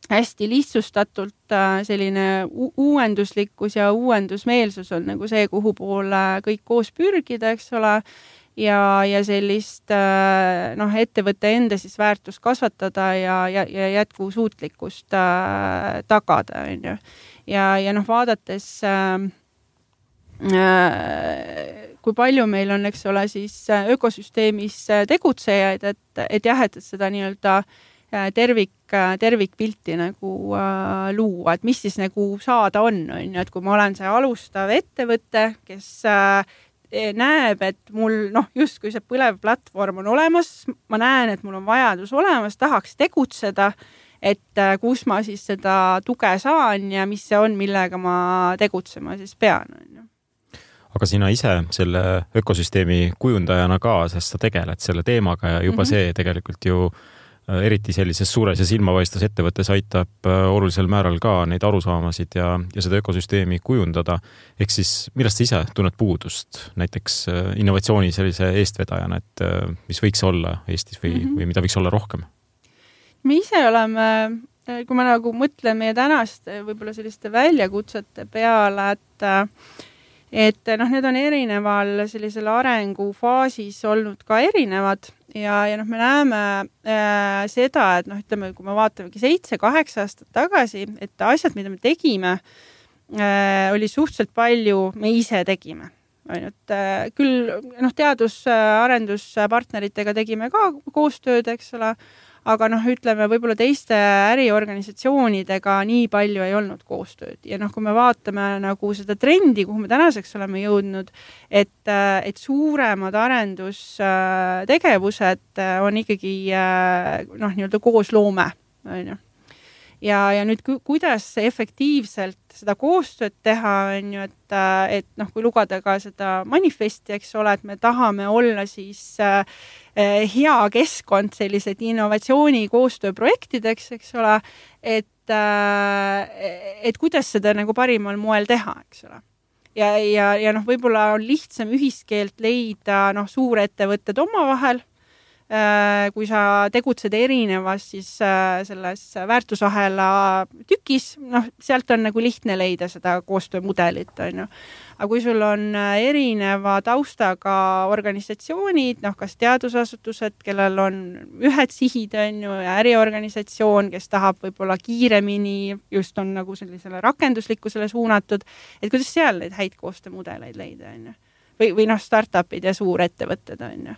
hästi lihtsustatult selline u- uuenduslikkus ja uuendusmeelsus on nagu see, kuhu poole kõik koos pürgida, eks ole, ja, ja sellist noh, ettevõtte enda siis väärtust kasvatada ja, ja, ja jätkusuutlikkust äh, tagada, on ju. Ja, ja noh, vaadates äh, kui palju meil on, eks ole, siis ökosüsteemis tegutsejaid, et, et jah, et seda nii-öelda tervik, tervikpilti nagu äh, luua, et mis siis nagu saada on, on ju, et kui ma olen see alustav ettevõte, kes äh, näeb, et mul noh, just kui see põlev platvorm on olemas, ma näen, et mul on vajadus olemas, tahaks tegutseda, et äh, kus ma siis seda tuge saan ja mis see on, millega ma tegutsema siis pean, on ju. Aga sina ise selle ökosüsteemi kujundajana ka, sest sa tegeled selle teemaga ja juba mm-hmm. see tegelikult ju eriti sellises suures ja silmapaistvas ettevõttes aitab olulisel määral ka neid arusaamasid ja, ja seda ökosüsteemi kujundada. Ehk siis, millest sa ise tunned puudust näiteks innovatsiooni sellise eestvedajana, et mis võiks olla Eestis või, mm-hmm. või mida võiks olla rohkem? Me ise oleme, kui me nagu mõtleme meie tänaste võib-olla selliste väljakutsete peale, et et noh, need on erineval sellisel arengufaasis olnud ka erinevad ja, ja noh, me näeme äh, seda, et noh, ütleme, kui me vaatamegi seitse, kaheksa aastat tagasi, et asjad, mida me tegime, äh, oli suhteliselt palju, me ise tegime. Ainult, äh, küll noh, teadus-arenduspartneritega tegime ka koostööd, eks ole, aga noh, ütleme, võib-olla teiste äriorganisatsioonidega nii palju ei olnud koostööd. Ja noh, kui me vaatame nagu seda trendi, kuhu me tänaseks oleme jõudnud, et, et suuremad arendustegevused on ikkagi noh, nii-öelda koosloome, on ju. Ja, ja nüüd ku, kuidas efektiivselt seda koostööd teha, on ju, et, et noh, kui lugada ka seda manifesti, eks ole, et me tahame olla siis äh, hea keskkond sellised innovatsiooni koostööprojektideks, eks ole, et, äh, et kuidas seda nagu parimal moel teha, eks ole. Ja, ja, ja noh, võib-olla on lihtsam ühiskeelt leida noh, suurettevõtted omavahel, kui sa tegutsed erinevas siis selles väärtusahela tükis, noh, sealt on nagu lihtne leida seda koostöömudelit, on ju. Aga kui sul on erineva taustaga organisatsioonid, noh, kas teadusasutused, kellel on ühed sihid, on ju, ja äriorganisatsioon, kes tahab võib-olla kiiremini, just on nagu sellisele rakenduslikkusele suunatud, et kuidas seal neid häid koostöömudeleid leida, on ju. Või, või noh, startupid ja suurettevõtted, on ju.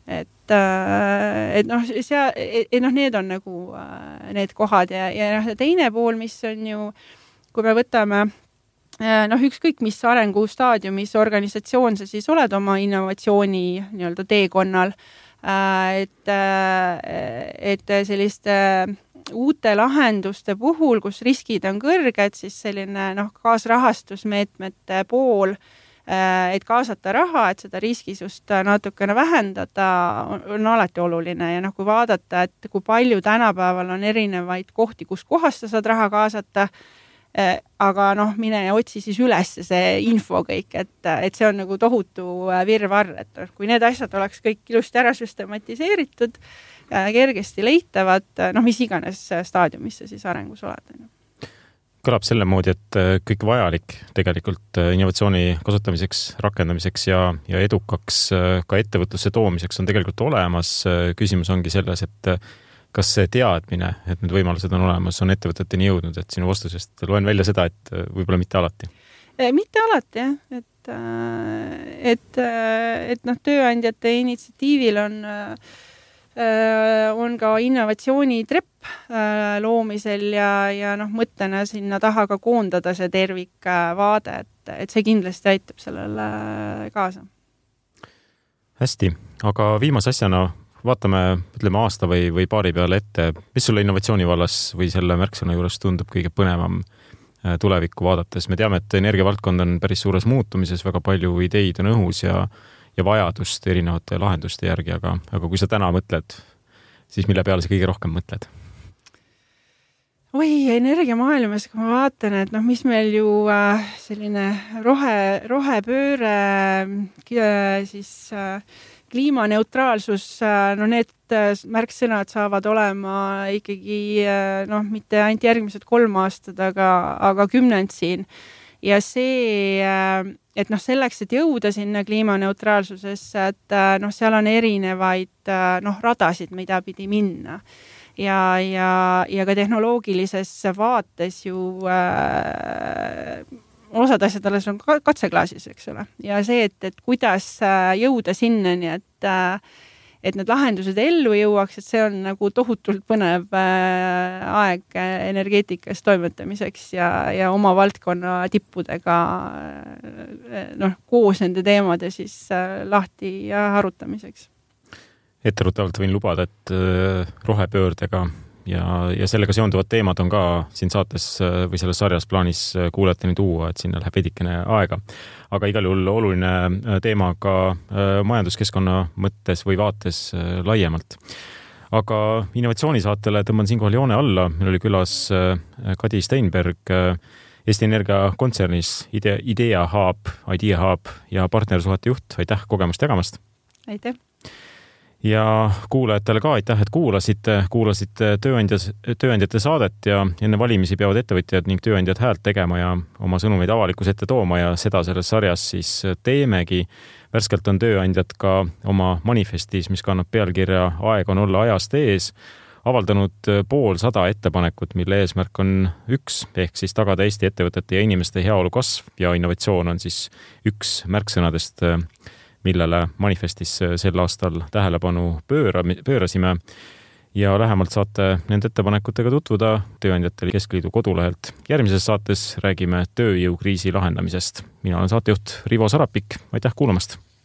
Et, et noh, sea, et noh, need on nagu need kohad ja, ja noh, teine pool, mis on ju, kui me võtame noh, ükskõik mis arengustaadiumis organisatsioon sa siis oled oma innovatsiooni nii-öelda teekonnal, et, et selliste uute lahenduste puhul, kus riskid on kõrged, siis selline noh, kaasrahastusmeetmete pool, et kaasata raha, et seda riskisust natukene vähendada, on, on alati oluline ja noh, kui vaadata, et kui palju tänapäeval on erinevaid kohti, kus kohast sa saad raha kaasata, aga noh, mine otsi siis üles see info kõik, et, et see on nagu tohutu virvarr, et kui need asjad oleks kõik ilusti ära süstematiseeritud, kergesti leitavad, noh, mis iganes staadiumis sa siis arengus oled. Kõlab selle moodi, et kõik vajalik tegelikult innovatsiooni kasutamiseks, rakendamiseks ja, ja edukaks ka ettevõtlusse toomiseks on tegelikult olemas. Küsimus ongi selles, et kas see teadmine, et need võimalused on olemas, on ettevõteteni jõudnud, et sinu vastusest loen välja seda, et võib-olla mitte alati? Mitte alati, jah. Et, et, et noh, tööandjate initsiatiivil on, on ka innovatsioonitrepp loomisel ja, ja noh, mõttena sinna taha ka koondada see tervikvaade, et, et see kindlasti aitab sellele kaasa. Hästi, aga viimase asjana vaatame, ütleme aasta või, või paari peale ette, mis sulle innovatsiooni vallas või selle märksõna juures tundub kõige põnevam tulevikku vaadates? Me teame, et energiavaldkond on päris suures muutumises, väga palju ideid on õhus ja, ja vajadust erinevate lahenduste järgi, aga, aga kui sa täna mõtled, siis mille peale sa kõige rohkem mõtled? Oi, energiamaailmas, kui ma vaatan, et noh, mis meil ju äh, selline rohe, rohepööre äh, siis äh, kliimaneutraalsus, no need märksõnad saavad olema ikkagi noh, mitte ainult järgmised kolm aastad, aga, aga kümnend siin. Ja see, et noh, selleks, et jõuda sinna kliimaneutraalsusesse, et noh, seal on erinevaid noh, radasid, mida pidi minna. Ja, ja, ja ka tehnoloogilises vaates ju äh, osad asjad alles on katseklaasis, eks ole. Ja see, et, et kuidas jõuda sinnani, et, et need lahendused ellu jõuaks, et see on nagu tohutult põnev aeg energeetikas toimetamiseks ja, ja oma valdkonna tippudega noh, koos nende teemade siis lahti ja arutamiseks. Etteruttavalt võin lubada, et rohepöördega ja, ja sellega seonduvad teemad on ka siin saates või selles sarjas plaanis kuulajateni tuua, et sinna läheb veidikene aega. Aga igal juhul oluline teema ka majanduskeskkonna mõttes või vaates laiemalt. Aga innovatsioonisaatele tõmban siinkohal joone alla. Meil oli külas Kadi Steinberg, Eesti Energia kontsernis Idea, Idea Hub, Idea Hub ja partnersuhete juht. Aitäh kogemust jagamast! Aitäh! Ja kuulajatele ka aitäh, et kuulasite, kuulasite tööandjas, tööandjate saadet ja enne valimisi peavad ettevõtjad ning tööandjad häält tegema ja oma sõnumeid avalikus ette tooma ja seda selles sarjas siis teemegi. Värskelt on tööandjad ka oma manifestis, mis kannab pealkirja Aeg on olla ajast ees, avaldanud pool sada ettepanekut, mille eesmärk on üks, ehk siis tagada Eesti ettevõtete ja inimeste heaolu kasv ja innovatsioon on siis üks märksõnadest, millele manifestis sel aastal tähelepanu pööra, pöörasime ja lähemalt saate nende ettepanekutega tutvuda Tööandjate Keskliidu kodulehelt. Järgmises saates räägime tööjõukriisi lahendamisest. Mina olen saatejuht Rivo Sarapik. Aitäh kuulamast!